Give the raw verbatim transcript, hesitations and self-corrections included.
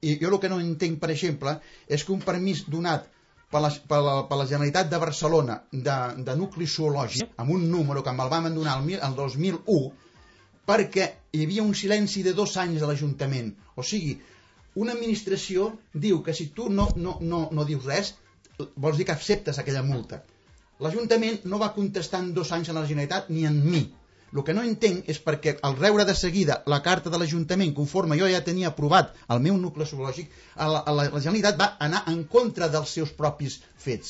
I jo el que no entenc, per exemple, és que un permís donat per la, per la, per la Generalitat de Barcelona de, de nucli zoològic, amb un número que me'l vam donar el, el dos mil u, perquè hi havia un silenci de dos anys a l'Ajuntament. O sigui, una administració diu que si tu no, no, no, no dius res, vols dir que acceptes aquella multa. L'Ajuntament no va contestar en dos anys a la Generalitat ni en mi. El que no entenc és perquè al rebre de seguida la carta de l'Ajuntament, conforme jo ja tenia aprovat el meu nucli zoològic, la, la, la Generalitat va anar en contra dels seus propis fets.